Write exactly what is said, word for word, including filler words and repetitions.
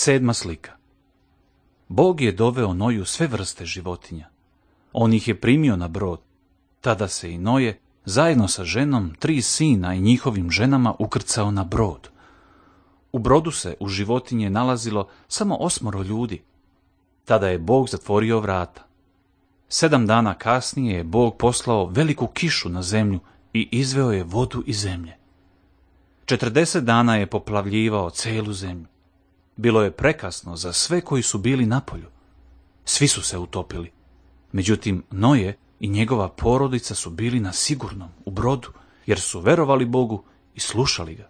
Sedma slika. Bog je doveo Noju sve vrste životinja. On ih je primio na brod. Tada se i Noje, zajedno sa ženom, tri sina i njihovim ženama ukrcao na brod. U brodu se u životinje nalazilo samo osmoro ljudi. Tada je Bog zatvorio vrata. Sedam dana kasnije je Bog poslao veliku kišu na zemlju i izveo je vodu iz zemlje. Četrdeset dana je poplavljivao celu zemlju. Bilo je prekasno za sve koji su bili napolju. Svi su se utopili. Međutim, Noje i njegova porodica su bili na sigurnom u brodu, jer su verovali Bogu i slušali ga.